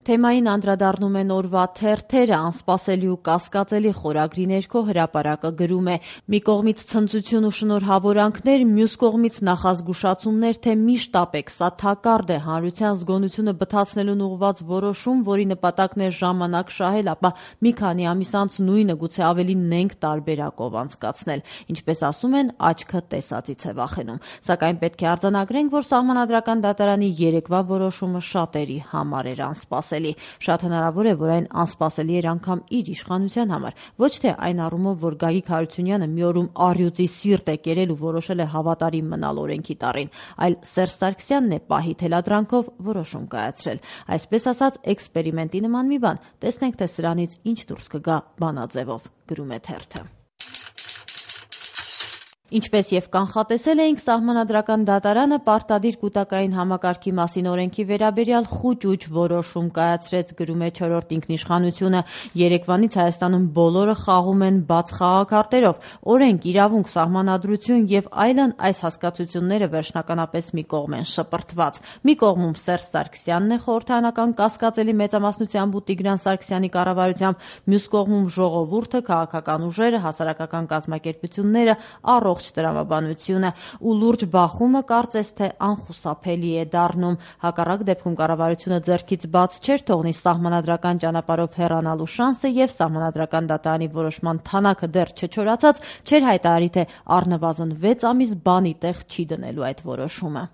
Թեմային անդրադառնում են օրվա թերթերը, անսպասելի ու կասկածելի խորագրի ներքո հրապարակը գրում է. մի կողմից ցնծություն ու շնորհավորանքներ, մյուս կողմից նախազգուշացումներ, թե մի շտապեք, սա թակարդ է, հանրության զգոնությունը բթացնելուն ուղղված որոշում, որի նպատակն է ժամանակ շահել, ապա մի քանի ամիս անց նույնը գուցե ավելի նենգ տարբերակով անցկացնել։ Ինչպես ասում են, աչքը տեսածից է վախենում։ Սակայն պետք է արձանագրենք, որ Սահմանադրական դատարանի երեկվա որոշումը շատերի համար էր անսպասելի։ Շատ հնարավոր է, որ այն անսպասելի էր անգամ իր իշխանության համար։ Ոչ թե այն առումով, որ Գագիկ Հարությունյանը մի օրում առյուծի սիրտ է կերել ու որոշել է հավատարիմ մնալ օրենքի տառին, այլ Սերժ Սարգսյանն է պահի թելադրանքով որոշում կայացրել։ Այսպես ասած, էքսպերիմենտի նման մի բան։ Տեսնենք, թե սրանից ինչ դուրս կգա բանաձևով, գրում է թերթը։ Ինչպես եւ կանխատեսել էինք, Սահմանադրական դատարանը պարտադիր կուտակային համակարգի մասին օրենքի վերաբերյալ խուճուճ որոշում կայացրեց, գրում է Չորրորդ ինքնիշխանությունը։ Երեկվանից Հայաստանում բոլորը խաղում են բաց խաղաքարտերով։ Օրենք, իրավունք, սահմանադրություն եւ այլն այս հասկացությունները վերջնականապես մի կողմ են շպրտված։ Մի կողմում Սերժ Սարգսյանն է խորհրդարանական կասկածելի մեծամասնությամբ ու Տիգրան Սարգսյանի կառավարությամբ, մյուս կողմում ժողովուրդը, քաղաքական ուժերը, հասարակական կազմակերպությունները, առողջ տրամաբանությունը ու լուրջ բախումը կարծես թե անխուսափելի է դառնում։ Հակառակ դեպքում կառավարությունը ձեռքից բաց չէր թողնի սահմանադրական ճանապարհով հեռանալու շանսը եւ Սահմանադրական դատարանի որոշման թանաքը դեռ չչորացած չէր հայտարարի, թե առնվազն 6 ամիս բանի տեղ չի դնելու այդ որոշումը։